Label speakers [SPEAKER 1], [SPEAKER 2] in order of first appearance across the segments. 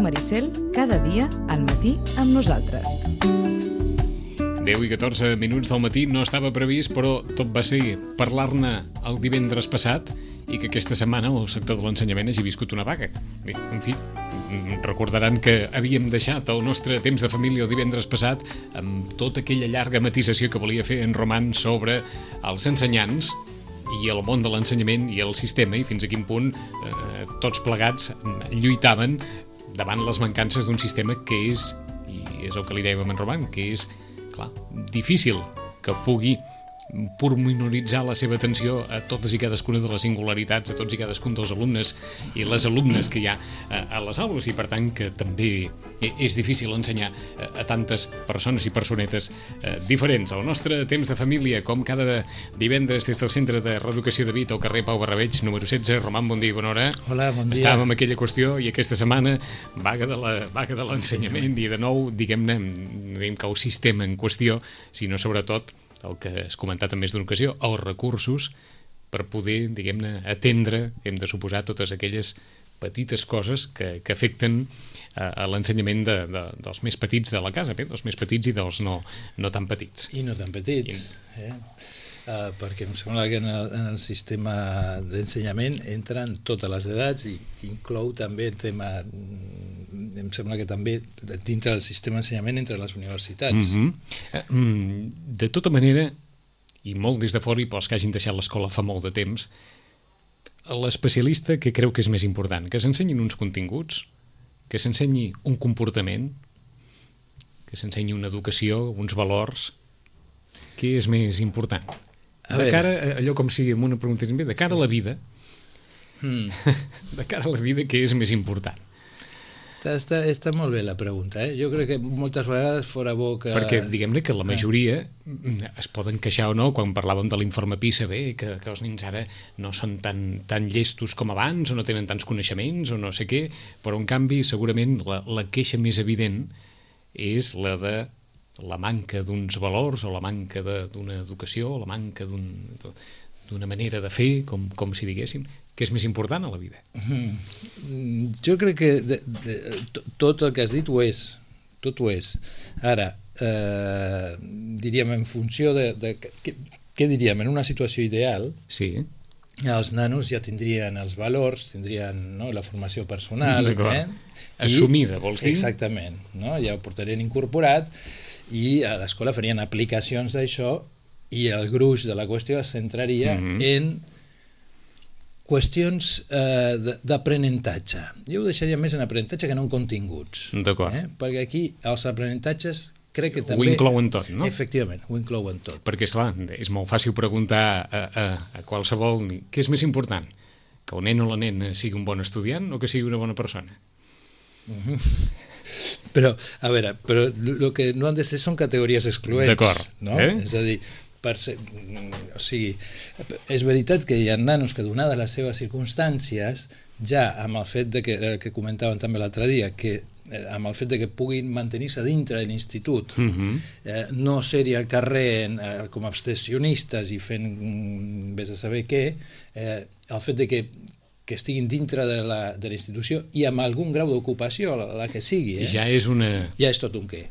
[SPEAKER 1] Maricel, cada dia al matí amb nosaltres.
[SPEAKER 2] 10 i 14 minuts del matí no estava previst, però tot va ser parlar-ne el divendres passat i que aquesta setmana el sector de l'ensenyament hagi viscut una vaga. Bé, en fi, recordaran que havíem deixat el nostre temps de família el divendres passat amb tota aquella llarga matisació que volia fer en Roman sobre els ensenyants i el món de l'ensenyament i el sistema i fins a quin punt tots plegats lluitaven davant les mancances d'un sistema que és, i és el que li dèiem en Roman, que és, clar, difícil que pugui pormenoritzar la seva atenció a totes i cadascuna de les singularitats, a tots i cadascun dels alumnes i les alumnes que hi ha a les aules, i per tant que també és difícil ensenyar a tantes persones i personetes diferents. El nostre temps de família, com cada divendres des del Centre de Reeducació de Vita, al carrer Pau Barrabeig, número 16. Roman, bon dia i bona hora.
[SPEAKER 3] Hola, bon dia.
[SPEAKER 2] Estàvem amb aquella qüestió i aquesta setmana vaga de l'ensenyament i de nou, diguem-ne, no diguem que el sistema en qüestió, sinó sobretot el que has comentat en més d'una ocasió, els recursos per poder, diguem-ne, atendre, hem de suposar, totes aquelles petites coses que afecten a l'ensenyament dels més petits de la casa, bé, dels més petits i dels no tan petits.
[SPEAKER 3] I no tan petits, perquè em sembla que en el sistema d'ensenyament entren totes les edats i inclou també el tema, em sembla que també dintre del sistema d'ensenyament entre les universitats.
[SPEAKER 2] De tota manera, i molt des de fora i pels que hagin deixat l'escola fa molt de temps, l'especialista que creu que és més important, que s'ensenyin uns continguts, que s'ensenyi un comportament, que s'ensenyi una educació, uns valors, què és més important? De cara, allò com si amb una pregunta de cara a la vida, de cara a la vida, què és més important?
[SPEAKER 3] Està molt bé la pregunta, Jo crec que moltes vegades fora bo que...
[SPEAKER 2] Perquè diguem-ne que la majoria es poden queixar o no, quan parlàvem de l'informe PISA, que els nens ara no són tan llestos com abans, o no tenen tants coneixements, o no sé què, però en canvi segurament la queixa més evident és la de la manca d'uns valors, o la manca d'una educació, o la manca d'una manera de fer, com si diguéssim, que és més important a la vida.
[SPEAKER 3] Jo crec que tot el que has dit ho és, tot ho és. Ara, diríem, en funció de què diríem, en una situació ideal,
[SPEAKER 2] sí,
[SPEAKER 3] els nanos ja tindrien els valors, tindrien la formació personal,
[SPEAKER 2] assumida, vols dir?
[SPEAKER 3] Exactament, ja ho portarien incorporat i a l'escola farien aplicacions d'això i el gruix de la qüestió es centraria en qüestions d'aprenentatge. Jo ho deixaria més en aprenentatge que no en continguts.
[SPEAKER 2] D'acord.
[SPEAKER 3] Perquè aquí els aprenentatges crec que també...
[SPEAKER 2] Ho inclouen tot, no?
[SPEAKER 3] Efectivament, ho inclouen tot.
[SPEAKER 2] Perquè, esclar, és molt fàcil preguntar a qualsevol què és més important, que el nen o la nena sigui un bon estudiant o que sigui una bona persona.
[SPEAKER 3] Però, a veure, el que no han de ser són categories excloents.
[SPEAKER 2] D'acord.
[SPEAKER 3] No? És a dir, o sigui, és veritat que hi ha nanos que, donades les seves circumstàncies, ja amb el fet que comentaven també l'altre dia, que amb el fet de que puguin mantenir-se dintre de l'institut, no ser-hi al carrer com a abstencionistes i fent vés a saber què, el fet de que estiguin dintre de la institució i amb algun grau d'ocupació, la que sigui.
[SPEAKER 2] Ja és
[SPEAKER 3] tot un què.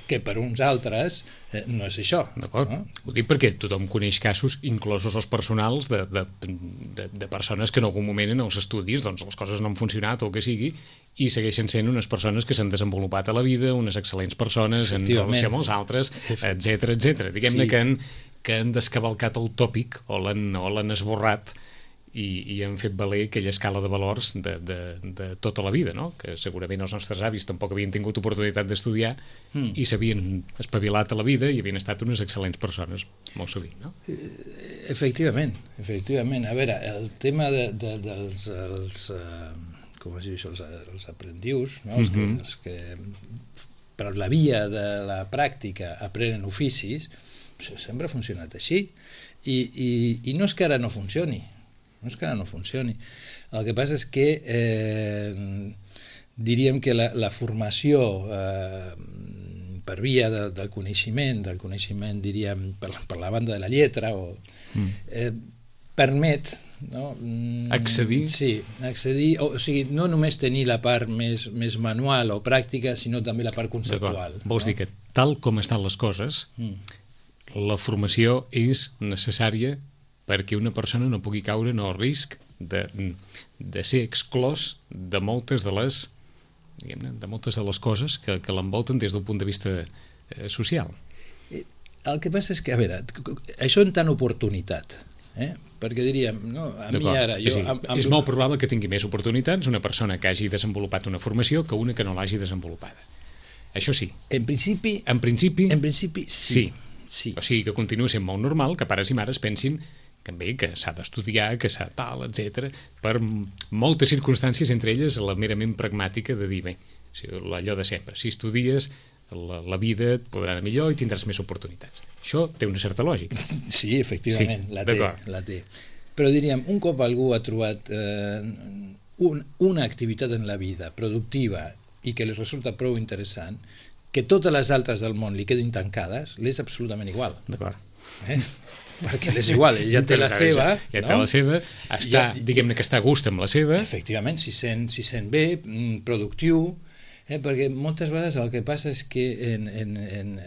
[SPEAKER 3] Que per uns altres no és això.
[SPEAKER 2] D'acord. Ho dic perquè tothom coneix casos, inclosos els personals, de persones que en algun moment en els estudis les coses no han funcionat o el que sigui, i segueixen sent unes persones que s'han desenvolupat a la vida, unes excel·lents persones en relació amb els altres, etc. Diguem-ne que han descavalcat el tòpic o l'han esborrat i han fet valer aquella escala de valors de tota la vida, no? Que segurament els nostres avis tampoc havien tingut oportunitat d'estudiar i s'havien espavilat a la vida i havien estat unes excel·lents persones, molt sovint, no?
[SPEAKER 3] Efectivament. A veure, el tema dels com es diu això, els aprendius, no? Els que per la via de la pràctica aprenen oficis, sempre ha funcionat així i no és que ara no funcioni. El que passa és que diríem que la formació per via del coneixement diríem per la banda de la lletra permet, no?
[SPEAKER 2] Accedir?
[SPEAKER 3] Sí, accedir, o sigui, no només tenir la part més manual o pràctica, sinó també la part conceptual.
[SPEAKER 2] Vols dir que tal com estan les coses, la formació és necessària perquè una persona no pugui caure en el risc de ser exclòs de moltes de les, diguem-ne, de moltes de les coses que l'envolten des del punt de vista social.
[SPEAKER 3] El que passa és que, a veure, això en tant oportunitat, perquè diríem, no, a mi ara...
[SPEAKER 2] És molt probable que tingui més oportunitats una persona que hagi desenvolupat una formació que una que no l'hagi desenvolupada. Això sí.
[SPEAKER 3] En principi
[SPEAKER 2] sí.
[SPEAKER 3] Sí.
[SPEAKER 2] O sigui que continua sent molt normal que pares i mares pensin que s'ha d'estudiar, que s'ha tal, etc. per moltes circumstàncies, entre elles la merament pragmàtica de dir, bé, allò de sempre, si estudies la vida et podrà anar millor i tindràs més oportunitats. Això té una certa lògica.
[SPEAKER 3] Sí, efectivament, sí, la té. Però diríem, un cop algú ha trobat una activitat en la vida productiva i que li resulta prou interessant, que totes les altres del món li quedin tancades, l'és absolutament igual.
[SPEAKER 2] D'acord.
[SPEAKER 3] Perquè l'és igual, ell ja té la seva,
[SPEAKER 2] ja té la seva, diguem-ne que està a gust amb la seva.
[SPEAKER 3] Efectivament, si sent bé, productiu, perquè moltes vegades el que passa és que en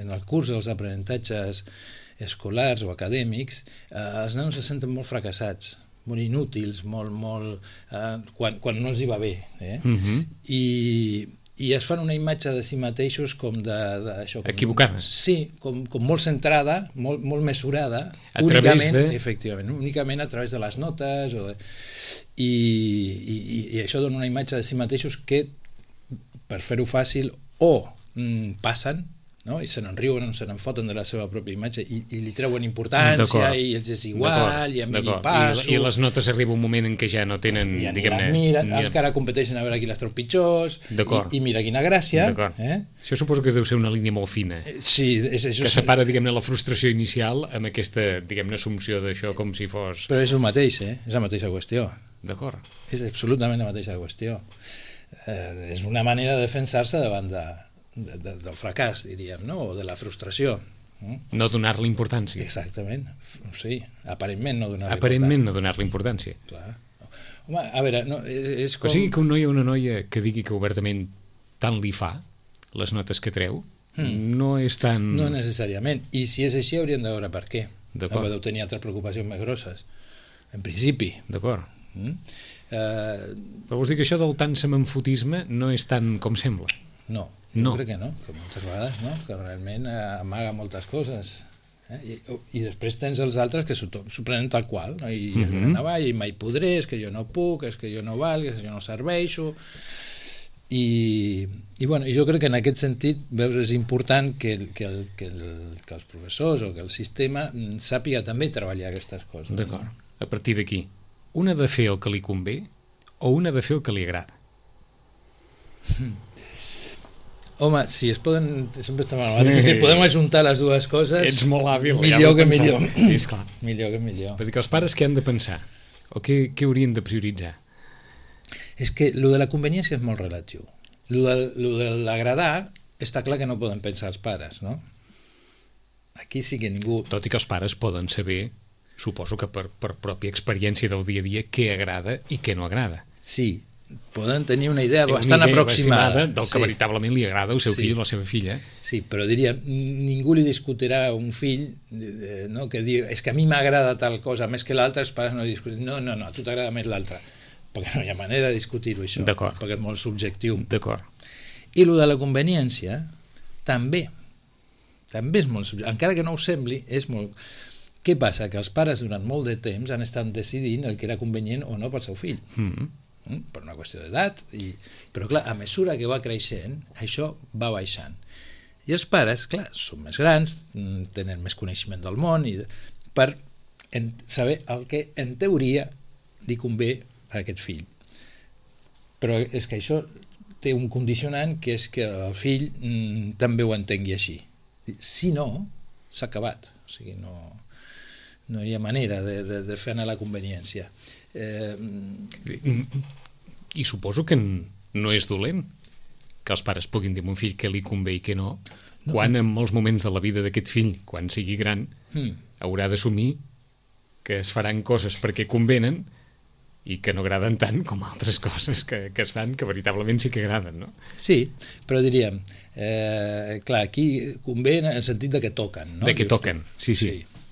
[SPEAKER 3] el curs dels aprenentatges escolars o acadèmics, els nanos se senten molt fracassats, molt inútils, quan no els hi va bé. I es fan una imatge de si mateixos com d'això...
[SPEAKER 2] Equivocada.
[SPEAKER 3] Sí, com molt centrada, molt mesurada, únicament a través de les notes, i això dona una imatge de si mateixos que, per fer-ho fàcil, o passen, no? I se n'enriuen o se n'enfoten de la seva pròpia imatge i li treuen importància i els és igual, i a mi passo...
[SPEAKER 2] I les notes arriba un moment en què ja no tenen...
[SPEAKER 3] encara competeixen a veure qui les treu pitjors i mira quina gràcia.
[SPEAKER 2] Això suposo que deu ser una línia molt fina, que separa, diguem-ne, la frustració inicial amb aquesta, diguem-ne, assumpció d'això com si fos...
[SPEAKER 3] Però és el mateix, és la mateixa qüestió.
[SPEAKER 2] D'acord.
[SPEAKER 3] És absolutament la mateixa qüestió. És una manera de defensar-se davant del fracàs, diríem, no? O de la frustració.
[SPEAKER 2] No donar-li importància.
[SPEAKER 3] Exactament, sí, aparentment no donar-li importància.
[SPEAKER 2] Aparentment no donar-li importància.
[SPEAKER 3] Clar. Home, a veure, no, és com...
[SPEAKER 2] O sigui que un noi o una noia que digui que obertament tant li fa les notes que treu, no és tan...
[SPEAKER 3] No necessàriament, i si és així hauríem de veure per què.
[SPEAKER 2] D'acord.
[SPEAKER 3] Deu tenir altres preocupacions més grosses, en principi.
[SPEAKER 2] D'acord. Però vols dir que això del tant semenfotisme no és tant com sembla?
[SPEAKER 3] No, jo crec que no, que moltes vegades no, que realment amaga moltes coses. I després tens els altres que s'ho prenen tal qual, no? I i mai podré, és que jo no puc, és que jo no valc, és que jo no serveixo. I jo crec que en aquest sentit, veus, és important que els professors o que el sistema sàpiga també treballar aquestes coses.
[SPEAKER 2] D'acord. A partir d'aquí, un ha de fer el que li convé o un ha de fer el que li agrada?
[SPEAKER 3] Home, si es poden... Sempre estem a la si podem ajuntar les dues coses...
[SPEAKER 2] Ets molt hàbil.
[SPEAKER 3] Millor que millor.
[SPEAKER 2] Sí, esclar.
[SPEAKER 3] Millor que millor.
[SPEAKER 2] Vull dir que els pares què han de pensar? O què haurien de prioritzar?
[SPEAKER 3] És que lo de la conveniència és molt relatiu. Lo de l'agradar està clar que no poden pensar els pares, no? Aquí sí que ningú...
[SPEAKER 2] Tot i que els pares poden saber, suposo que per pròpia experiència del dia a dia, què agrada i què no agrada.
[SPEAKER 3] Sí, poden tenir una idea bastant aproximada
[SPEAKER 2] del que veritablement li agrada al seu fill o la seva filla.
[SPEAKER 3] Sí, però diríem, ningú li discutirà a un fill que diu, és que a mi m'agrada tal cosa més que l'altra, els pares no discuten, no, a tu t'agrada més l'altra, perquè no hi ha manera de discutir-ho això, perquè és molt subjectiu.
[SPEAKER 2] D'acord.
[SPEAKER 3] I el de la conveniència també és molt subjectiu, encara que no ho sembli, és molt... Què passa? Que els pares durant molt de temps han estat decidint el que era convenient o no pel seu fill. Per una qüestió d'edat, però clar, a mesura que va creixent, això va baixant. I els pares, clar, són més grans, tenen més coneixement del món, per saber el que en teoria li convé a aquest fill. Però és que això té un condicionant, que és que el fill també ho entengui així. Si no, s'ha acabat. O sigui, no hi ha manera de fer anar la conveniència.
[SPEAKER 2] I suposo que no és dolent que els pares puguin dir a un fill què li convé i què no, quan en molts moments de la vida d'aquest fill, quan sigui gran, haurà d'assumir que es faran coses perquè convenen i que no agraden tant com altres coses que es fan que veritablement sí que agraden, no?
[SPEAKER 3] Sí, però diríem, clar, aquí convé en el sentit de que toquen, no?
[SPEAKER 2] De que toquen, sí.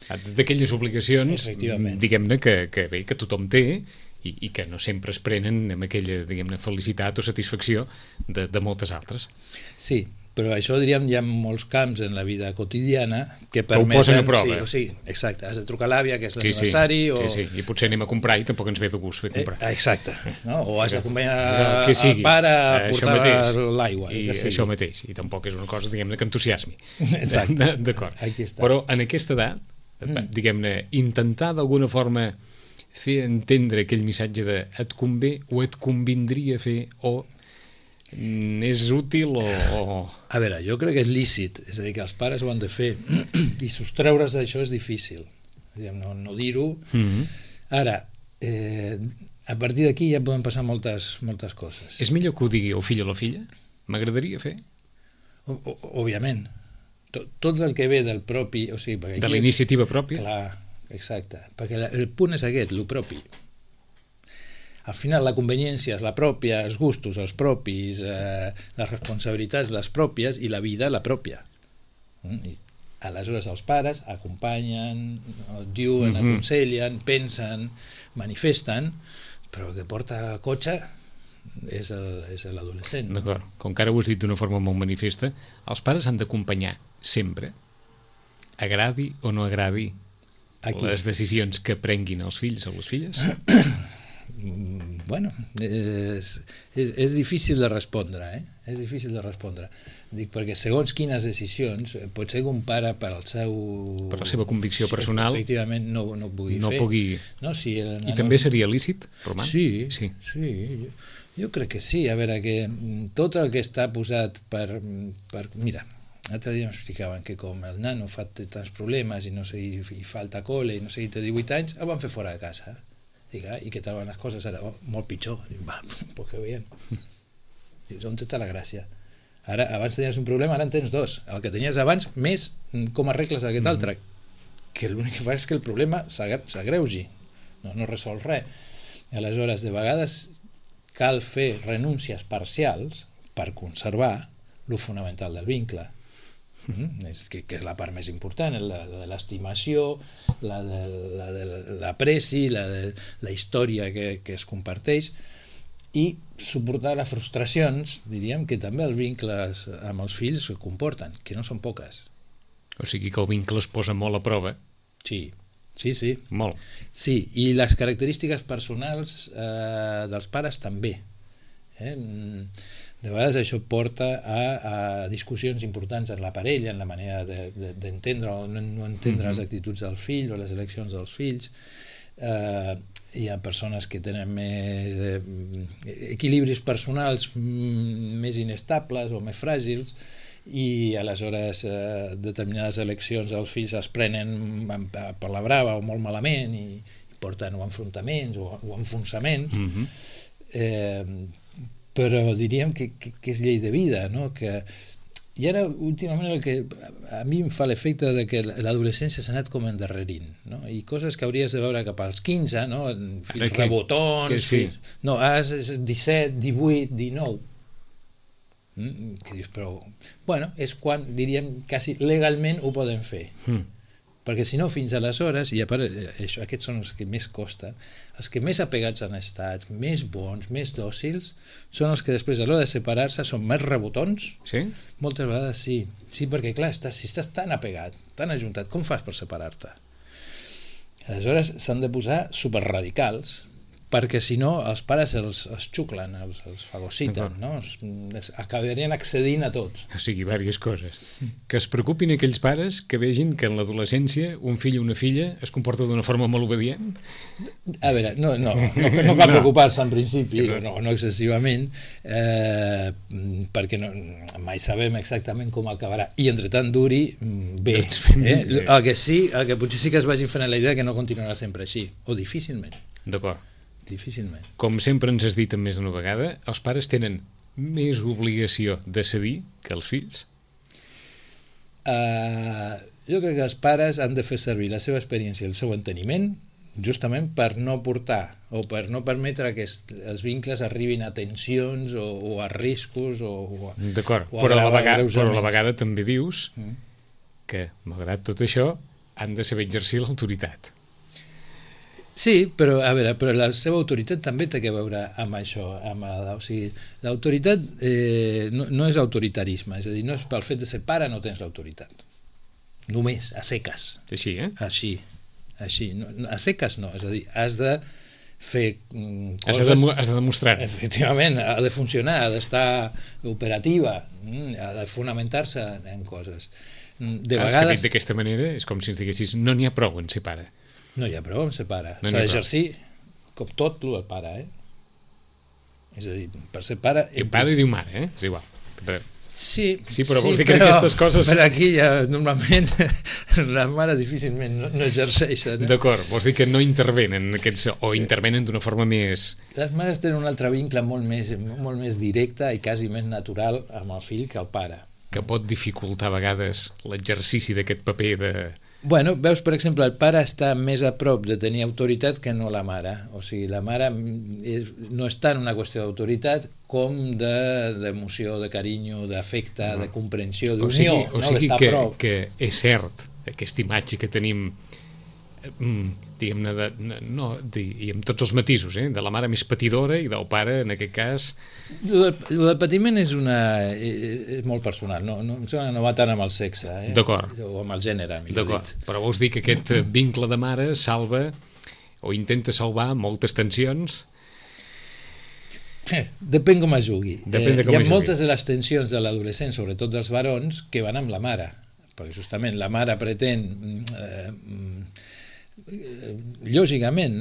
[SPEAKER 2] D'aquelles obligacions, diguem-ne, que bé, que tothom té i que no sempre es prenen amb aquella, diguem-ne, felicitat o satisfacció de moltes altres.
[SPEAKER 3] Sí, però això, diríem, hi ha molts camps en la vida quotidiana que
[SPEAKER 2] ho posen a prova.
[SPEAKER 3] Sí, exacte, has de trucar a l'àvia, que és l'aniversari,
[SPEAKER 2] sí, i potser anem a comprar i tampoc ens ve de gust fer comprar.
[SPEAKER 3] Exacte, no? O has d'acompanyar el pare a portar l'aigua.
[SPEAKER 2] I això mateix, i tampoc és una cosa, diguem-ne, que entusiasmi.
[SPEAKER 3] Exacte.
[SPEAKER 2] D'acord. Però en aquesta edat, diguem-ne, intentar d'alguna forma fer entendre aquell missatge de et convé o et convindria fer o és útil o...
[SPEAKER 3] A veure, jo crec que és lícit, és a dir, que els pares ho han de fer i sostreure's d'això és difícil, no dir-ho. Ara, a partir d'aquí ja poden passar moltes coses.
[SPEAKER 2] És millor que ho digui el fill o la filla? M'agradaria fer?
[SPEAKER 3] Òbviament. Tot el que ve del propi... O sigui,
[SPEAKER 2] de la iniciativa pròpia?
[SPEAKER 3] Clar, exacte. Perquè el punt és aquest, el propi. Al final la conveniència és la pròpia, els gustos els propis, les responsabilitats les pròpies i la vida la pròpia. I aleshores els pares acompanyen, diuen, aconsellen, pensen, manifesten, però el que porta cotxe és l'adolescent.
[SPEAKER 2] D'acord, com que ara ho has dit d'una forma molt manifesta, els pares han d'acompanyar sempre, agradi o no agradi les decisions que prenguin els fills o les filles?
[SPEAKER 3] Bueno, és difícil de respondre, és difícil de respondre. Dic, perquè segons quines decisions, pot ser que un pare per la seva
[SPEAKER 2] convicció personal
[SPEAKER 3] efectivament no pugui fer. No, si
[SPEAKER 2] I també seria lícit, Roman?
[SPEAKER 3] Sí, jo crec que sí. A veure, que tot el que està posat per mira, l'altre dia m'explicaven que com el nano fa tants problemes i falta col·le i no sé, té 18 anys, el van fer fora de casa. I què tal van les coses ara? Molt pitjor. Pues que veiem. Dius, on està la gràcia? Ara, abans tenies un problema, ara en tens dos. El que tenies abans, més com arregles aquest altre. Que l'únic que fa és que el problema s'agreugi. No resol res. Aleshores, de vegades cal fer renúncies parcials per conservar lo fonamental del vincle. Que és la part més important, la de l'estimació, la de l'apreci, la història que es comparteix, i suportar les frustracions, diríem, que també els vincles amb els fills comporten, que no són poques.
[SPEAKER 2] O sigui que el vincle es posa molt a prova.
[SPEAKER 3] Sí.
[SPEAKER 2] Molt.
[SPEAKER 3] Sí, i les característiques personals dels pares també. De vegades això porta a discussions importants en la parella, en la manera d'entendre o no entendre les actituds del fill o les eleccions dels fills. Hi ha persones que tenen més equilibris personals més inestables o més fràgils i aleshores determinades eleccions dels fills es prenen per la brava o molt malament i porten o enfrontaments o enfonsaments. Però diríem que és llei de vida, no? I ara últimament el que a mi em fa l'efecte de que l'adolescència s'ha anat com endarrerint, no? I coses que hauries de veure cap als 15, no? Fills rebotons, no, ara és 17, 18, 19, que dius, però bueno, és quan, diríem, quasi legalment ho poden fer. Perquè si no, fins aleshores, i a part, aquests són els que més costen, els que més apegats han estat, més bons, més dòcils, són els que després a l'hora de separar-se són més rebotons.
[SPEAKER 2] Sí?
[SPEAKER 3] Moltes vegades sí. Sí, perquè clar, si estàs tan apegat, tan ajuntat, com fas per separar-te? Aleshores s'han de posar superradicals, perquè si no els pares els xuclen, els fagociten, no? Acabarien accedint a tots.
[SPEAKER 2] O sigui, diverses coses. Que es preocupin aquells pares que vegin que en l'adolescència un fill o una filla es comporta d'una forma molt obedient?
[SPEAKER 3] A veure, no cal preocupar-se en principi, no excessivament, perquè mai sabem exactament com acabarà. I entre tant duri, bé. El que potser sí que es vagin fent la idea que no continuarà sempre així, o difícilment.
[SPEAKER 2] D'acord.
[SPEAKER 3] Difícilment.
[SPEAKER 2] Com sempre ens has dit més d'una vegada, els pares tenen més obligació de cedir que els fills?
[SPEAKER 3] Jo crec que els pares han de fer servir la seva experiència i el seu enteniment justament per no portar o per no permetre que els vincles arribin a tensions o a riscos
[SPEAKER 2] D'acord, però a la vegada també dius que, malgrat tot això, han de saber exercir l'autoritat.
[SPEAKER 3] Sí, però a veure, però la seva autoritat també té que veure amb això, o sigui, l'autoritat no és autoritarisme, és a dir, no és pel fet de ser pare no tens l'autoritat. Només, a seques.
[SPEAKER 2] Així,
[SPEAKER 3] Així, no, a seques no, és a dir, has de fer
[SPEAKER 2] coses... Has de demostrar.
[SPEAKER 3] Efectivament, ha de funcionar, ha d'estar operativa, ha de fonamentar-se en coses. De vegades...
[SPEAKER 2] És que d'aquesta manera és com si ens diguessis no n'hi ha prou en ser pare.
[SPEAKER 3] No hi ha prou en ser pare. S'ha d'exercir com tot el pare, És a dir, per ser pare...
[SPEAKER 2] Diu pare i diu mare, És igual.
[SPEAKER 3] Sí,
[SPEAKER 2] però vols dir que aquestes coses...
[SPEAKER 3] Però aquí ja, normalment, la mare difícilment no exerceixen.
[SPEAKER 2] D'acord, vols dir que no intervenen aquests, o intervenen d'una forma més...
[SPEAKER 3] Les mares tenen un altre vincle molt més directe i quasi més natural amb el fill que el pare.
[SPEAKER 2] Que pot dificultar a vegades l'exercici d'aquest paper de...
[SPEAKER 3] Bueno, veus, per exemple, el pare està més a prop de tenir autoritat que no la mare. O sigui, la mare no està en una qüestió d'autoritat com d'emoció, de carinyo, d'afecte, de comprensió, d'unió.
[SPEAKER 2] O sigui que és cert, aquesta imatge que tenim, diguem-ne, i amb tots els matisos, de la mare més patidora i del pare, en aquest cas...
[SPEAKER 3] El patiment és molt personal, no va tant amb el sexe, o amb el gènere, millor dit.
[SPEAKER 2] Però vols dir que aquest vincle de mare salva o intenta salvar moltes tensions?
[SPEAKER 3] Depèn com es jugui. Hi ha moltes de les tensions de l'adolescent, sobretot dels varons, que van amb la mare, perquè justament la mare pretén... lògicament,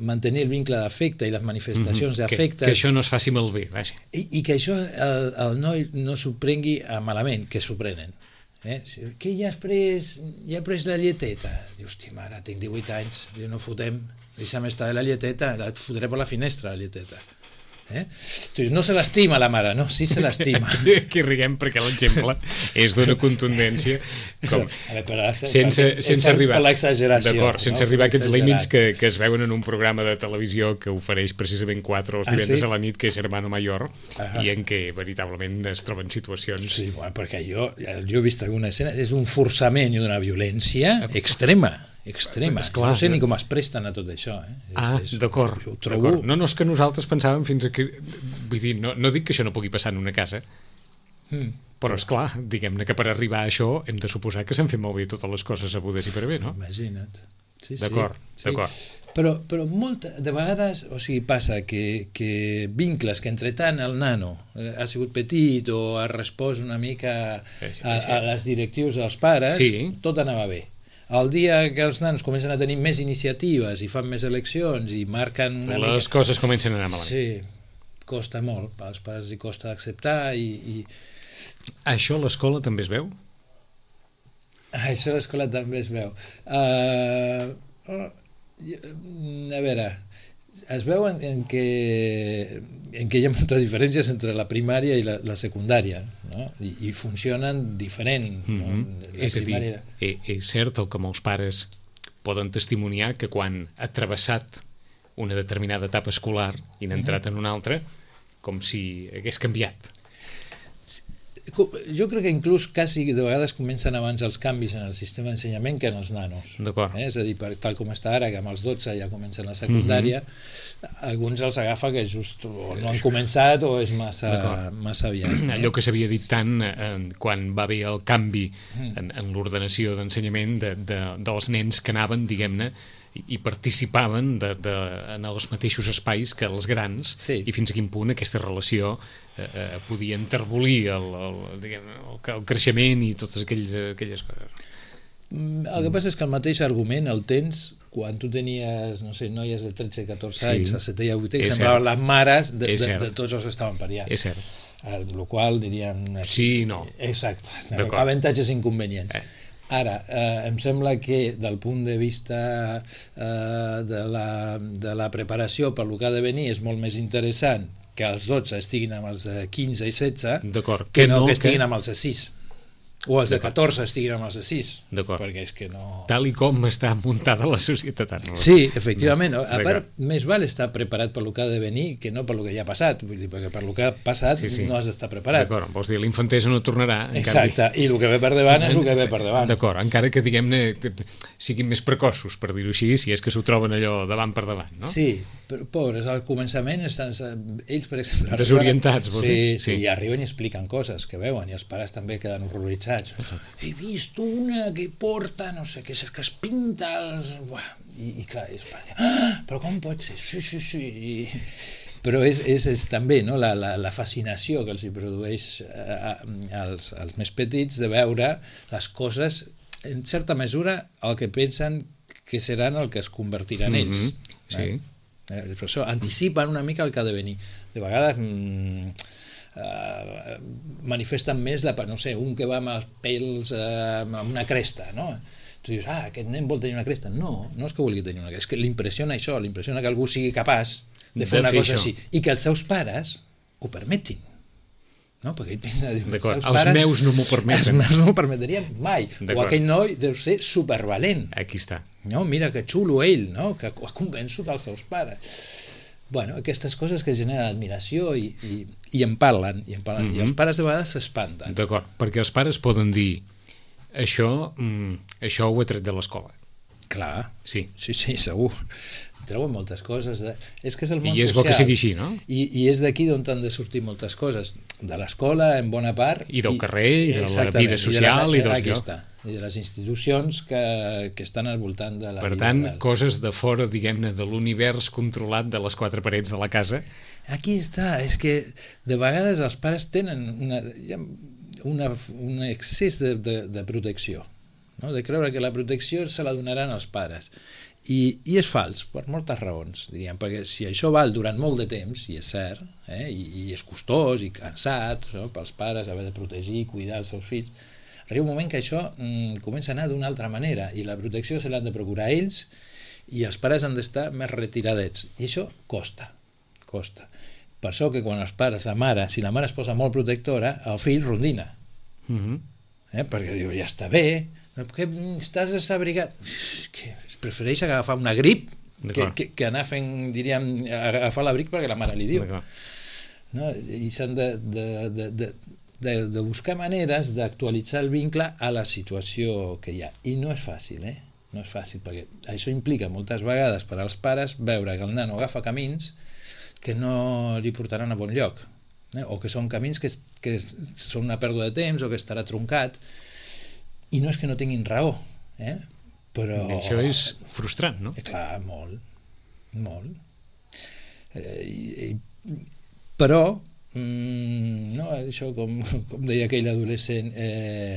[SPEAKER 3] mantenir el vincle d'afecte i les manifestacions d'afecte,
[SPEAKER 2] que això no es faci malbé, vaja.
[SPEAKER 3] I que això el noi no s'ho prengui malament, que s'ho prenen. Que ja has pres la lleteta? Diu, hosti, mare, tinc 18 anys, no fotem, deixa'm estar de la lleteta, et fotré per la finestra la lleteta. No se l'estima la mare, no? Sí se l'estima.
[SPEAKER 2] Aquí riguem perquè l'exemple és d'una contundència sense arribar a aquests límits que es veuen en un programa de televisió que ofereix precisament 4 els divendres a la nit, que és Hermano Mayor, i en què veritablement es troben situacions...
[SPEAKER 3] Sí, perquè jo he vist alguna escena, és un forçament i una violència extrema. No sé ni com es presten a tot això.
[SPEAKER 2] D'acord. No, és que nosaltres pensàvem fins aquí... Vull dir, no dic que això no pugui passar en una casa, però esclar, diguem-ne que per arribar a això hem de suposar que s'han fet molt bé totes les coses sabudes i per bé, no?
[SPEAKER 3] Imagina't.
[SPEAKER 2] D'acord.
[SPEAKER 3] Però de vegades, o sigui, passa que vincles que entretant el nano ha sigut petit o ha respost una mica a les directius dels pares, tot anava bé. El dia que els nanos comencen a tenir més iniciatives i fan més eleccions i marquen una mica...
[SPEAKER 2] Les coses comencen a anar malament.
[SPEAKER 3] Sí, costa molt, als pares li costa acceptar i...
[SPEAKER 2] Això a l'escola també es veu?
[SPEAKER 3] Això a l'escola també es veu. A veure, es veu en què hi ha moltes diferències entre la primària i la secundària, no? I funcionen diferent.
[SPEAKER 2] És a dir, és cert el que molts pares poden testimoniar, que quan ha travessat una determinada etapa escolar i n'ha entrat en una altra, com si hagués canviat.
[SPEAKER 3] Jo crec que inclús quasi de vegades comencen abans els canvis en el sistema d'ensenyament que en els nanos.
[SPEAKER 2] D'acord.
[SPEAKER 3] És a dir, tal com està ara, que amb els 12 ja comencen la secundària, alguns els agafa que just o no han començat o és massa aviat.
[SPEAKER 2] Allò que s'havia dit tant quan va haver el canvi en l'ordenació d'ensenyament dels nens que anaven, diguem-ne, i participaven en els mateixos espais que els grans, i fins a quin punt aquesta relació podia enterbolir el creixement i totes aquelles coses.
[SPEAKER 3] El que passa és que el mateix argument el tens quan tu tenies, no sé, noies de 13-14 anys, a 7è i a 8è, que semblaven les mares de tots els que estaven pariant.
[SPEAKER 2] És cert.
[SPEAKER 3] El qual diríem...
[SPEAKER 2] Sí, no.
[SPEAKER 3] Exacte. Avantatges i inconvenients. Ara, em sembla que del punt de vista de la preparació per lo que ha de venir és molt més interessant que els 12 estiguin amb els de 15 i 16 que no que estiguin amb els de 6. O els de 14 estiguin amb els de 6.
[SPEAKER 2] D'acord.
[SPEAKER 3] Perquè és que no...
[SPEAKER 2] Tal i com està muntada la societat ara.
[SPEAKER 3] Sí, efectivament. A part, més val estar preparat per lo que ha de venir que no per lo que ja ha passat. Vull dir, perquè per lo que ha passat no has d'estar preparat.
[SPEAKER 2] D'acord, vols dir, l'infantesa no tornarà.
[SPEAKER 3] Exacte, i el que ve per davant és el que ve per davant.
[SPEAKER 2] D'acord, encara que, diguem-ne, siguin més precoços, per dir-ho així, si és que s'ho troben allò davant per davant, no?
[SPEAKER 3] Sí, però pobres, al començament estan, ells, per exemple...
[SPEAKER 2] Desorientats, vols dir?
[SPEAKER 3] Sí, i arriben i expliquen coses que veuen, i els pares també queden horroritzats. He vist una que porta, no sé, que es pinta els... I clar, però com pot ser? Sí. Però és també, no, la fascinació que els hi produeix als més petits de veure les coses, en certa mesura, el que pensen que seran el que es convertiran ells.
[SPEAKER 2] Sí.
[SPEAKER 3] Per això anticipen una mica el que ha de venir. De vegades manifesten més no sé, un que va amb els pèls amb una cresta, no? Tu dius, aquest nen vol tenir una cresta. No és que vulgui tenir una cresta, és que l'impressiona això, l'impressiona que algú sigui capaç de fer una cosa així, i que els seus pares ho permetin, no? Perquè ell pensa,
[SPEAKER 2] els meus no m'ho permeten.
[SPEAKER 3] Els meus no m'ho permetrien mai. O aquell noi deu ser supervalent.
[SPEAKER 2] Aquí està.
[SPEAKER 3] No, mira que xulo ell, no? Que ha convençut els seus pares. Bueno, aquestes coses que generen admiració i en parlen, i els pares de vegades s'espanten.
[SPEAKER 2] D'acord, perquè els pares poden dir això ho he tret de l'escola.
[SPEAKER 3] Clar,
[SPEAKER 2] sí,
[SPEAKER 3] segur. Treuen moltes coses. És que és el món social.
[SPEAKER 2] I és bo que sigui així, no?
[SPEAKER 3] I és d'aquí d'on han de sortir moltes coses. De l'escola, en bona part.
[SPEAKER 2] I del carrer, i de la vida social, i dels llocs.
[SPEAKER 3] I de les institucions que estan al voltant de la vida.
[SPEAKER 2] Per tant, coses de fora, diguem-ne, de l'univers controlat de les quatre parets de la casa.
[SPEAKER 3] Aquí està, és que de vegades els pares tenen un excés de protecció, no? De creure que la protecció se la donaran als pares. I és fals, per moltes raons, diríem, perquè si això val durant molt de temps, i és cert, i és costós i cansat, no? Pels pares haver de protegir i cuidar els seus fills, arriba un moment que això comença a anar d'una altra manera, i la protecció se l'han de procurar ells, i els pares han d'estar més retiradets, i això costa. Per això que quan els pares, si la mare es posa molt protectora, el fill rondina, perquè diu, ja està bé, que estàs desabrigat, prefereix agafar una grip que anar fent, diríem, agafar l'abric perquè la mare li diu, no? I s'han de buscar maneres d'actualitzar el vincle a la situació que hi ha, i no és fàcil, no és fàcil, perquè això implica moltes vegades per als pares veure que el nano agafa camins que no li portaran a bon lloc, o que són camins que són una pèrdua de temps o que estarà truncat, i no és que no tinguin raó, però...
[SPEAKER 2] Això és frustrant, no?
[SPEAKER 3] Clar, molt. Però, no, això com deia aquell adolescent,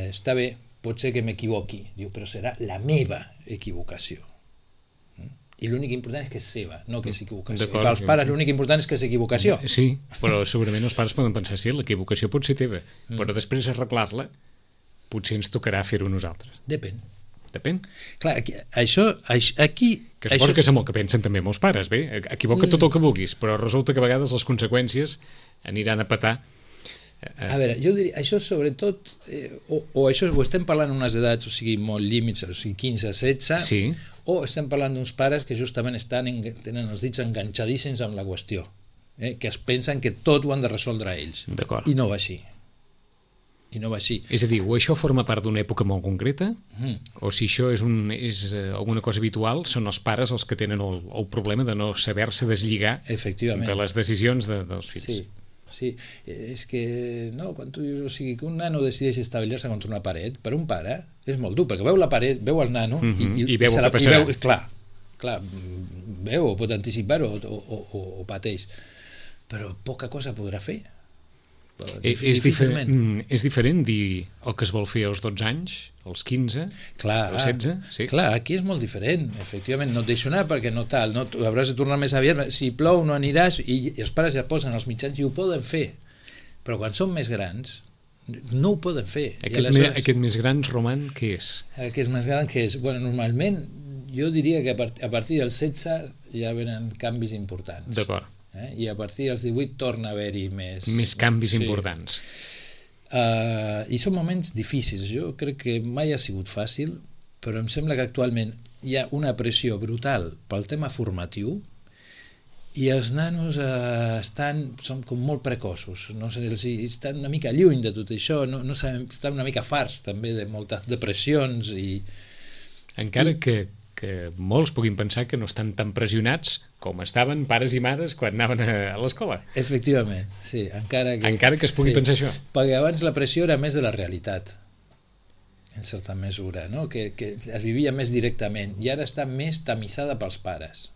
[SPEAKER 3] està bé, pot ser que m'equivoqui, diu, però serà la meva equivocació. I l'únic important és que és seva, no que és equivocació. I pels pares l'únic important és que és equivocació.
[SPEAKER 2] Sí, però segurament els pares poden pensar, sí, l'equivocació pot ser teva, però després arreglar-la potser ens tocarà fer-ho nosaltres.
[SPEAKER 3] Depèn. Clar, aquí...
[SPEAKER 2] Que suposo que és amb el que pensen també molts pares, bé, equivoca tot el que vulguis, però resulta que a vegades les conseqüències aniran a petar.
[SPEAKER 3] A veure, jo diria, això sobretot, o això ho estem parlant en unes edats, o sigui, molt límits, o sigui, 15, 16,
[SPEAKER 2] sí.
[SPEAKER 3] O estem parlant d'uns pares que justament tenen els dits enganxadíssims amb la qüestió, que es pensen que tot ho han de resoldre ells.
[SPEAKER 2] D'acord.
[SPEAKER 3] I no va així.
[SPEAKER 2] És a dir, o això forma part d'una època molt concreta, o si això és alguna cosa habitual, són els pares els que tenen el problema de no saber-se deslligar de les decisions dels fills.
[SPEAKER 3] Sí, és que no, quan tu dius, o sigui, que un nano decideix estavellar-se contra una paret, per un pare és molt dur, perquè veu la paret, veu el nano
[SPEAKER 2] i veu el que passarà.
[SPEAKER 3] Clar, veu, o pot anticipar-ho o pateix, però poca cosa podrà fer.
[SPEAKER 2] És diferent dir el que es vol fer als 12 anys, als 15, als 16? Sí.
[SPEAKER 3] Clar, aquí és molt diferent, efectivament, no et deixo anar perquè no tal, no, hauràs de tornar més aviat, si plou no aniràs, i els pares ja posen els mitjans i ho poden fer, però quan són més grans no ho poden fer.
[SPEAKER 2] Aquest més gran, Roman, què és?
[SPEAKER 3] Aquest més gran què és? Bueno, normalment jo diria que a partir dels 16 ja venen canvis importants.
[SPEAKER 2] D'acord.
[SPEAKER 3] I a partir dels 18 torna a haver-hi més
[SPEAKER 2] canvis importants.
[SPEAKER 3] I són moments difícils. Jo crec que mai ha sigut fàcil, però em sembla que actualment hi ha una pressió brutal pel tema formatiu i els nanos són com molt precoços, no sé, estan una mica lluny de tot això, no saben, estan una mica farts també de moltes depressions
[SPEAKER 2] encara que molts puguin pensar que no estan tan pressionats com estaven pares i mares quan anaven a l'escola.
[SPEAKER 3] Efectivament, sí, encara
[SPEAKER 2] que es pugui pensar això.
[SPEAKER 3] Perquè abans la pressió era més de la realitat, en certa mesura, no? que es vivia més directament, i ara està més tamissada pels pares.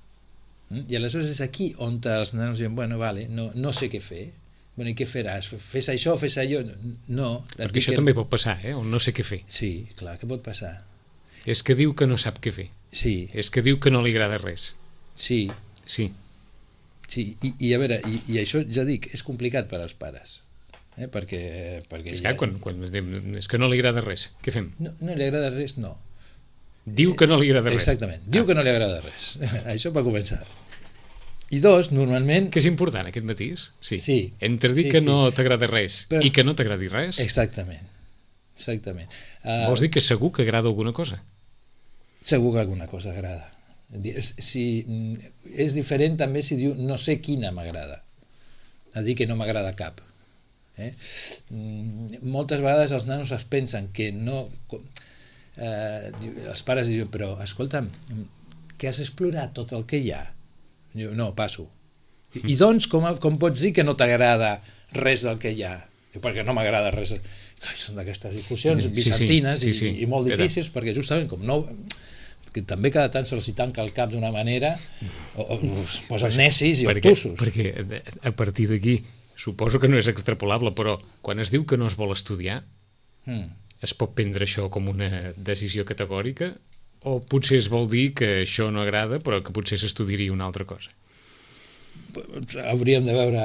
[SPEAKER 3] I aleshores és aquí on els nanos diuen, bueno, vale, no sé què fer. Bueno, i què faràs? Fes això, fes allò? No.
[SPEAKER 2] Perquè això també pot passar, o no sé què fer.
[SPEAKER 3] Sí, clar, què pot passar?
[SPEAKER 2] És que diu que no sap què fer.
[SPEAKER 3] Sí.
[SPEAKER 2] És que diu que no li agrada res.
[SPEAKER 3] Sí.
[SPEAKER 2] Sí.
[SPEAKER 3] Sí, i a veure, i això ja dic, és complicat per als pares. Perquè
[SPEAKER 2] és que quan és que no li agrada res, què fem?
[SPEAKER 3] No li agrada res, no.
[SPEAKER 2] Diu que no li agrada res.
[SPEAKER 3] Exactament, diu que no li agrada res. Això va començar. I dos, normalment...
[SPEAKER 2] Que és important, aquest matís. Sí. Entre dir
[SPEAKER 3] sí,
[SPEAKER 2] que no t'agrada res i que no t'agradi res...
[SPEAKER 3] Exactament.
[SPEAKER 2] Vols dir que segur que agrada alguna cosa?
[SPEAKER 3] Segur que alguna cosa agrada. És diferent també si diu no sé quina m'agrada. A dir que no m'agrada cap. Moltes vegades els nanos es pensen que no... els pares diuen, però escolta'm, que has explorat tot el que hi ha? Diu, no, passo. I doncs com pots dir que no t'agrada res del que hi ha? Diu, perquè no m'agrada res. Són d'aquestes discussions bizantines i molt difícils, perquè justament com no... que també cada tant se'ls tanca el cap d'una manera o es posen necis i obtusos.
[SPEAKER 2] Perquè a partir d'aquí suposo que no és extrapolable, però quan es diu que no es vol estudiar es pot prendre això com una decisió categòrica o potser es vol dir que això no agrada però que potser s'estudiaria una altra cosa?
[SPEAKER 3] Hauríem de veure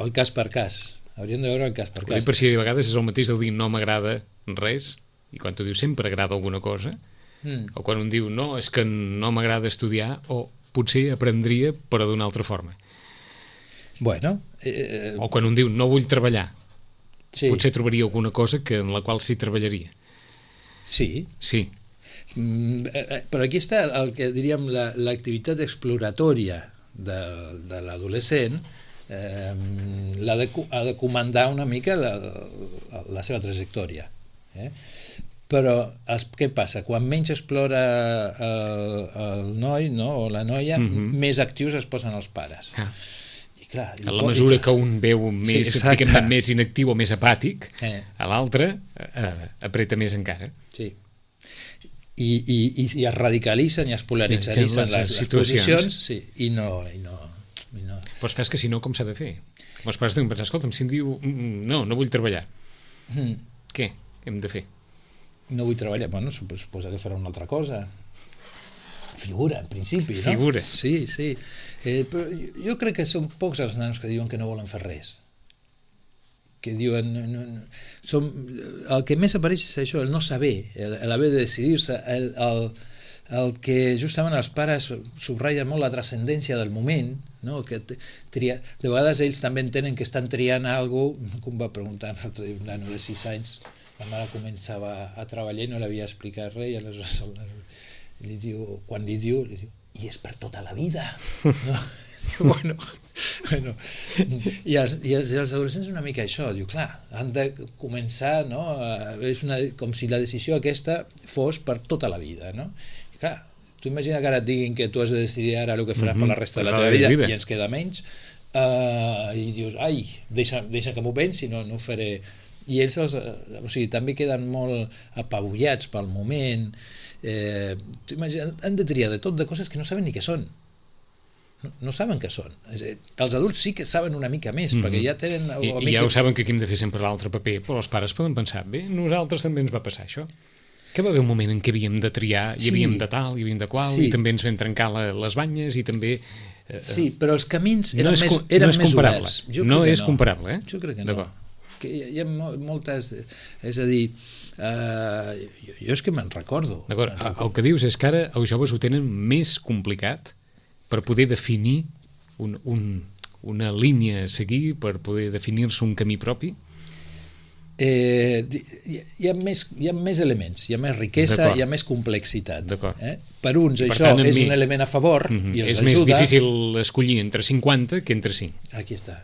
[SPEAKER 3] el cas per cas.
[SPEAKER 2] Per si a vegades és el mateix del dir no m'agrada res i quan tu dius sempre agrada alguna cosa o quan un diu no, és que no m'agrada estudiar o potser aprendria però d'una altra forma.
[SPEAKER 3] Bueno,
[SPEAKER 2] o quan un diu no vull treballar, potser trobaria alguna cosa en la qual sí treballaria.
[SPEAKER 3] Sí. Però aquí està el que diríem l'activitat exploratòria de l'adolescent, ha de comandar una mica la seva trajectòria. Però què passa? Quan menys explora el noi o la noia, més actius es posen els pares. I clar,
[SPEAKER 2] a la mesura que un veu més inactiu o més apàtic, a l'altre apreta més encara.
[SPEAKER 3] Sí. I es radicalitzen i es polaritzen les posicions i no.
[SPEAKER 2] Però és que si no, com s'ha de fer? Els pares deuen pensar, escolta'm, si em diu no vull treballar, què hem de fer?
[SPEAKER 3] No vull treballar, bueno, suposa que farà una altra cosa. Figura, en principi, no?
[SPEAKER 2] Figura.
[SPEAKER 3] Sí. Però jo crec que són pocs els nanos que diuen que no volen fer res. Que diuen... El que més apareix és això, el no saber, l'haver de decidir-se, el que justament els pares subratllen molt la transcendència del moment, no? Que de vegades ells també entenen que estan triant alguna cosa, com va preguntar un nano de 6 anys, la mare començava a treballar i no l'havia explicat res, i aleshores quan li diu, i és per tota la vida, no? Bueno, i els adolescents una mica això, diu, clar, han de començar, no? És com si la decisió aquesta fos per tota la vida, no? I clar, tu imagina que ara et diguin que tu has de decidir ara el que faràs per la resta de la teva vida i ens queda menys, i dius, ai, deixa que m'ho pensi, no ho faré. I ells també queden molt apabullats pel moment. Tu imagina, han de triar de tot de coses que no saben ni què són. No saben què són. Els adults sí que saben una mica més, perquè ja tenen...
[SPEAKER 2] I ja ho saben que aquí hem de fer sempre l'altre paper, però els pares poden pensar, bé, nosaltres també ens va passar això. Que va haver un moment en què havíem de triar, hi havíem de tal, hi havíem de qual, i també ens vam trencar les banyes, i també...
[SPEAKER 3] Sí, però els camins eren més oberts.
[SPEAKER 2] No és comparable,
[SPEAKER 3] Jo crec que no. Hi ha moltes... És a dir, jo és que me'n recordo.
[SPEAKER 2] D'acord, el que dius és que ara els joves ho tenen més complicat per poder definir una línia a seguir, per poder definir-se un camí propi?
[SPEAKER 3] hi ha més elements, hi ha més riquesa, hi ha més complexitat. Per uns
[SPEAKER 2] per
[SPEAKER 3] això
[SPEAKER 2] tant,
[SPEAKER 3] és un element a favor i els
[SPEAKER 2] és més
[SPEAKER 3] ajuda.
[SPEAKER 2] difícil escollir entre 50 que entre 5.
[SPEAKER 3] Aquí està.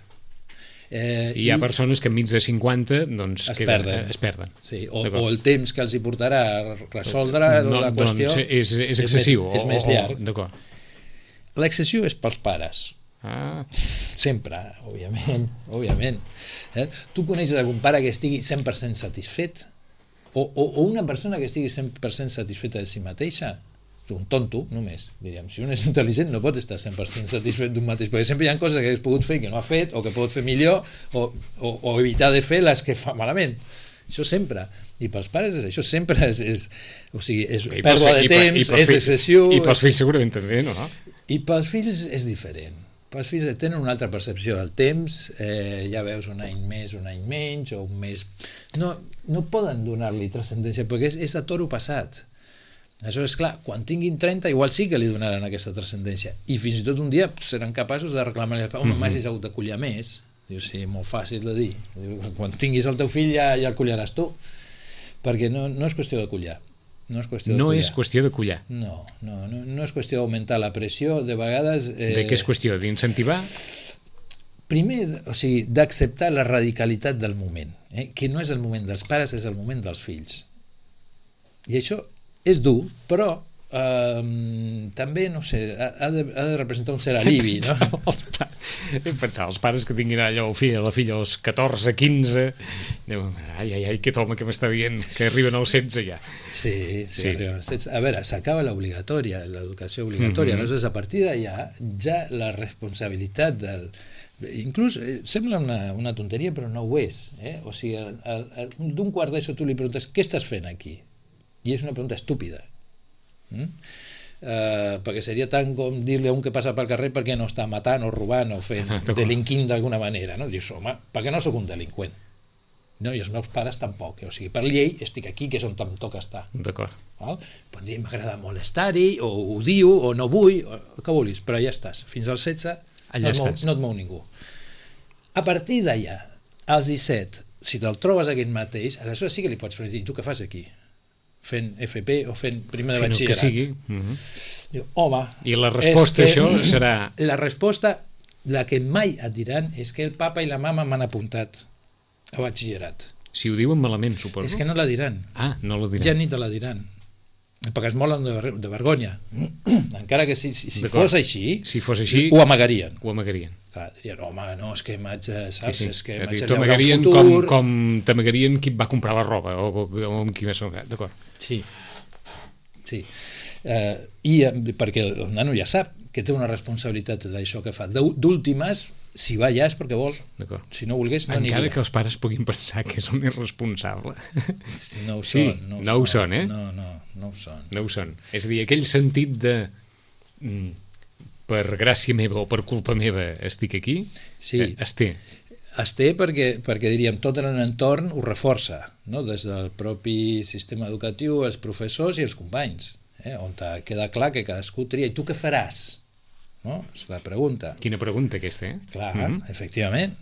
[SPEAKER 2] I hi ha persones que enmig de 50 doncs, es perden.
[SPEAKER 3] Sí, o el temps que els hi portarà a resoldre la qüestió
[SPEAKER 2] és excessiu.
[SPEAKER 3] És més llarg.
[SPEAKER 2] D'acord.
[SPEAKER 3] L'excessiu és pels pares. Sempre, òbviament. Tu coneixes algun pare que estigui 100% satisfet? O una persona que estigui 100% satisfeta de si mateixa? Un tonto, només, diríem. Si un és intel·ligent no pot estar 100% satisfet d'un mateix, perquè sempre hi ha coses que hagués pogut fer i que no ha fet, o que pot fer millor, o evitar de fer les que fa malament. Això sempre. I pels pares és això, sempre és pèrdua de temps, és excessiu.
[SPEAKER 2] I pels fills segurament també, no?
[SPEAKER 3] I pels fills és diferent. Els fills tenen una altra percepció del temps, ja veus un any més, un any menys, o un mes... No poden donar-li transcendència, perquè és a toro passat. Aleshores, clar, quan tinguin 30 igual sí que li donaran aquesta transcendència, i fins i tot un dia seran capaços de reclamar-li home, m'has hagut de collar més. Diu, sí, molt fàcil de dir. Diu, quan tinguis el teu fill ja el collaràs tu, perquè no és qüestió de collar. No és qüestió
[SPEAKER 2] de collar.
[SPEAKER 3] No és qüestió d'augmentar la pressió, de vegades...
[SPEAKER 2] De què és qüestió? D'incentivar?
[SPEAKER 3] Primer, d'acceptar la radicalitat del moment, que no és el moment dels pares, és el moment dels fills. I això és dur, però també, no sé, ha de representar un cert alivi, no?
[SPEAKER 2] Pensar, els pares que tinguin allò la filla als 14, 15, diuen, ai, aquest home que m'està dient que arriben als 16 ja.
[SPEAKER 3] Sí, arriben als 16. A veure, s'acaba l'obligatòria, l'educació obligatòria, aleshores a partir d'allà ja la responsabilitat del... Inclús sembla una tonteria, però no ho és. O sigui, d'un quart d'ESO tu li preguntes què estàs fent aquí? I és una pregunta estúpida. Perquè seria tant com dir-li a un que passa pel carrer per què no està matant o robant o fent delinquint d'alguna manera, no? Dius, home, perquè no sóc un delinqüent, no? I els meus pares tampoc, o sigui, per llei estic aquí, que és on em toca estar.
[SPEAKER 2] D'acord.
[SPEAKER 3] Pots dir, m'agrada molestar-hi, o ho diu, o no vull, o el que vulguis, però ja estàs, fins als 16 no et mou ningú. A partir d'allà, als 17, si te'l trobes aquell mateix, aleshores sí que li pots preguntar, tu què fas aquí? Fent FP o fent primer de batxillerat. Diu, home...
[SPEAKER 2] I la resposta a això serà...
[SPEAKER 3] La resposta, la que mai et diran, és que el papa i la mama m'han apuntat a batxillerat.
[SPEAKER 2] Si ho diuen malament, suposo.
[SPEAKER 3] És que no la diran.
[SPEAKER 2] No la diran.
[SPEAKER 3] Ja ni te la diran. Perquè es molen de vergonya. Encara que si fos així, ho amagarien. Clar, dirien, home, no, és que m'haig és que m'haig de llaurar un futur...
[SPEAKER 2] Com t'amagarien qui va comprar la roba o amb qui va ser... D'acord.
[SPEAKER 3] Sí. I perquè el nano ja sap que té una responsabilitat d'això que fa. D'últimes, si va allà és perquè vol. Si no volgués, no aniria.
[SPEAKER 2] Encara que els pares puguin pensar que és un irresponsable.
[SPEAKER 3] No ho són.
[SPEAKER 2] No ho són, eh?
[SPEAKER 3] No ho són.
[SPEAKER 2] No ho són. És a dir, aquell sentit de... per gràcia meva o per culpa meva estic aquí, es té.
[SPEAKER 3] Es té perquè diríem, tot l'entorn ho reforça, no? Des del propi sistema educatiu, els professors i els companys, on queda clar que cadascú tria. I tu què faràs? No? És la pregunta.
[SPEAKER 2] Quina pregunta aquesta,
[SPEAKER 3] Clar, efectivament.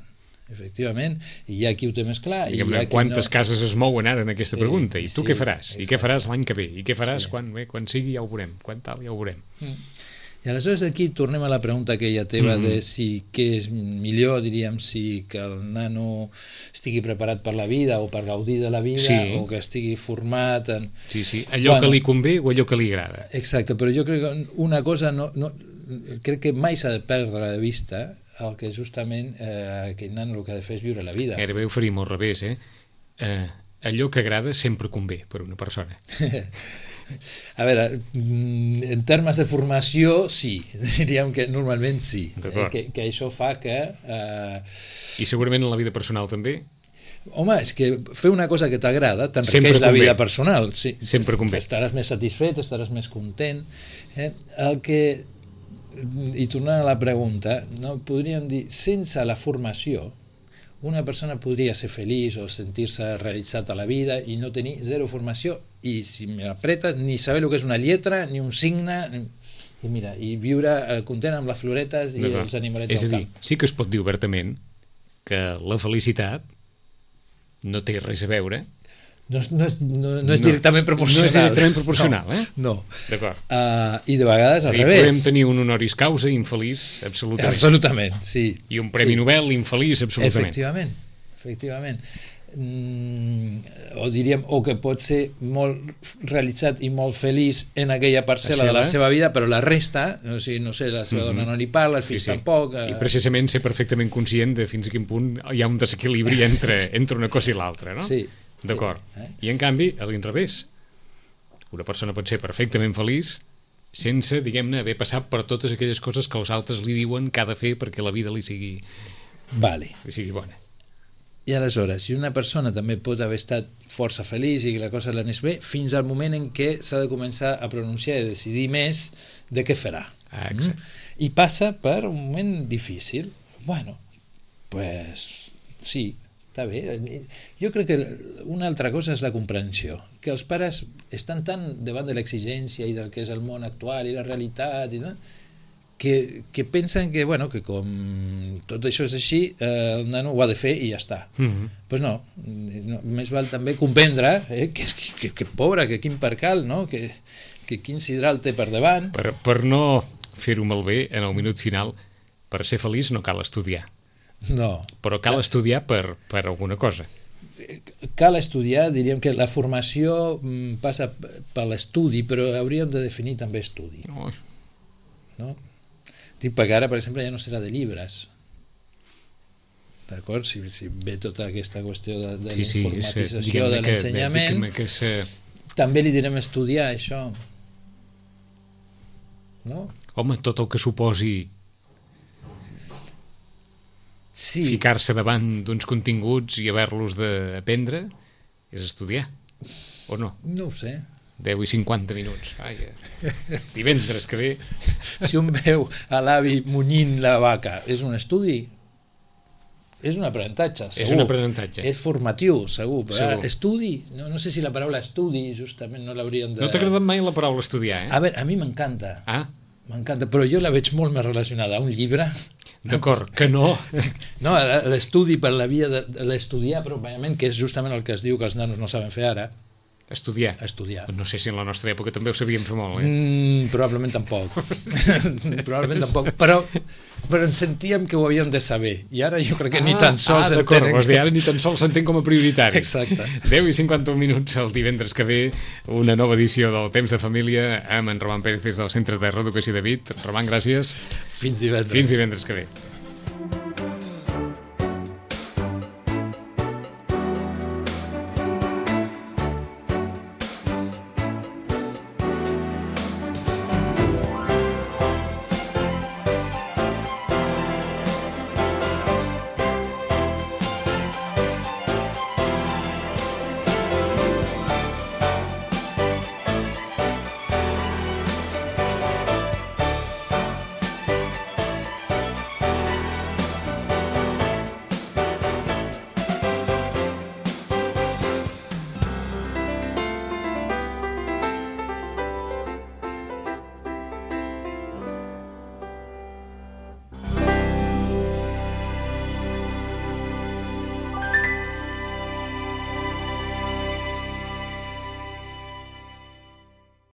[SPEAKER 3] I hi ha qui ho té més clar.
[SPEAKER 2] Quantes cases es mouen ara en aquesta pregunta? I tu què faràs? I què faràs l'any que ve? I què faràs quan sigui? Ja ho veurem. Quan tal, ja ho veurem.
[SPEAKER 3] I aleshores aquí tornem a la pregunta aquella teva de si què és millor, diríem, si que el nano estigui preparat per la vida o per gaudir de la vida o que estigui format en...
[SPEAKER 2] Sí, allò que li convé o allò que li agrada.
[SPEAKER 3] Exacte, però jo crec que una cosa crec que mai s'ha de perdre de vista el que justament aquell nano el que ha de fer és viure la vida.
[SPEAKER 2] Gairebé ho faríem al revés, allò que agrada sempre convé per una persona.
[SPEAKER 3] A veure, en termes de formació, sí, diríem que normalment sí, que això fa que...
[SPEAKER 2] I segurament en la vida personal també?
[SPEAKER 3] Home, és que fer una cosa que t'agrada t'enriqueix la vida personal. Sí.
[SPEAKER 2] Sempre convé.
[SPEAKER 3] Estaràs més satisfet, estaràs més content. El que... I tornant a la pregunta, podríem dir, sense la formació, una persona podria ser feliç o sentir-se realitzat a la vida i no tenir zero formació i, si m'apretes, ni saber el que és una lletra ni un signe i viure content amb les floretes i els animalets al camp.
[SPEAKER 2] És a dir, sí que es pot dir obertament que la felicitat no té res a veure.
[SPEAKER 3] No és directament proporcional.
[SPEAKER 2] No és directament proporcional,
[SPEAKER 3] No.
[SPEAKER 2] D'acord.
[SPEAKER 3] I de vegades al revés.
[SPEAKER 2] Podem tenir un honoris causa infeliç, absolutament.
[SPEAKER 3] Absolutament, sí.
[SPEAKER 2] I un Premi Nobel infeliç, absolutament.
[SPEAKER 3] Efectivament. O diríem, o que pot ser molt realitzat i molt feliç en aquella parcel·la de la seva vida, però la resta, no sé, la seva dona no li parla, el fill tampoc...
[SPEAKER 2] I precisament ser perfectament conscient de fins a quin punt hi ha un desequilibri entre una cosa i l'altra, no?
[SPEAKER 3] Sí.
[SPEAKER 2] D'acord. I en canvi, a l'inrevés, una persona pot ser perfectament feliç sense, diguem-ne, haver passat per totes aquelles coses que els altres li diuen que ha de fer perquè la vida li sigui bona.
[SPEAKER 3] I aleshores, si una persona també pot haver estat força feliç i que la cosa l'anés bé, fins al moment en què s'ha de començar a pronunciar i decidir més de què farà. I passa per un moment difícil. Bueno, pues sí, està bé. Jo crec que una altra cosa és la comprensió, que els pares estan tan davant de l'exigència i del que és el món actual i la realitat i tot, que pensen que, bueno, que com tot això és així, el nano ho ha de fer i ja està. Pues no, més val també comprendre que pobre, que quin percal, no? que quin sidral té per davant.
[SPEAKER 2] Per no fer-ho malbé en el minut final, per ser feliç no cal estudiar.
[SPEAKER 3] No.
[SPEAKER 2] Però cal estudiar per alguna cosa.
[SPEAKER 3] Cal estudiar, diríem que la formació passa per l'estudi, però hauríem de definir també estudi. No? Dic, perquè ara, per exemple, ja no serà de llibres. D'acord? Si ve tota aquesta qüestió de la informatització de l'ensenyament, també li direm estudiar això. No?
[SPEAKER 2] Home, tot el que suposi ficar-se davant d'uns continguts i haver-los d'aprendre és estudiar, o no?
[SPEAKER 3] No ho sé.
[SPEAKER 2] 10 i 50 minuts. Divendres que ve.
[SPEAKER 3] Si un veu a l'avi munyint la vaca, és un estudi? És un aprenentatge, segur.
[SPEAKER 2] És un aprenentatge.
[SPEAKER 3] És formatiu, segur. Estudi, no sé si la paraula estudi justament no l'hauríem de...
[SPEAKER 2] No t'ha agradat mai la paraula estudiar,
[SPEAKER 3] A veure, a mi m'encanta. M'encanta, però jo la veig molt més relacionada a un llibre.
[SPEAKER 2] D'acord, que no.
[SPEAKER 3] No, l'estudi per la via de l'estudiar pròpiament, que és justament el que es diu que els nanos no saben fer ara.
[SPEAKER 2] Estudiar. No sé si en la nostra època també ho sabíem fer molt,
[SPEAKER 3] Probablement tampoc. Probablement tampoc, però ens sentíem que ho havíem de saber, i ara jo crec que ni tan sols
[SPEAKER 2] s'entén. Ara ni tan sols s'entén com a prioritari.
[SPEAKER 3] Exacte.
[SPEAKER 2] 10 i 51 minuts el divendres que ve, una nova edició del Temps de Família amb en Roman Pérez des del Centre de Reeducació de Vic. Roman, gràcies.
[SPEAKER 3] Fins divendres.
[SPEAKER 2] Fins divendres que ve.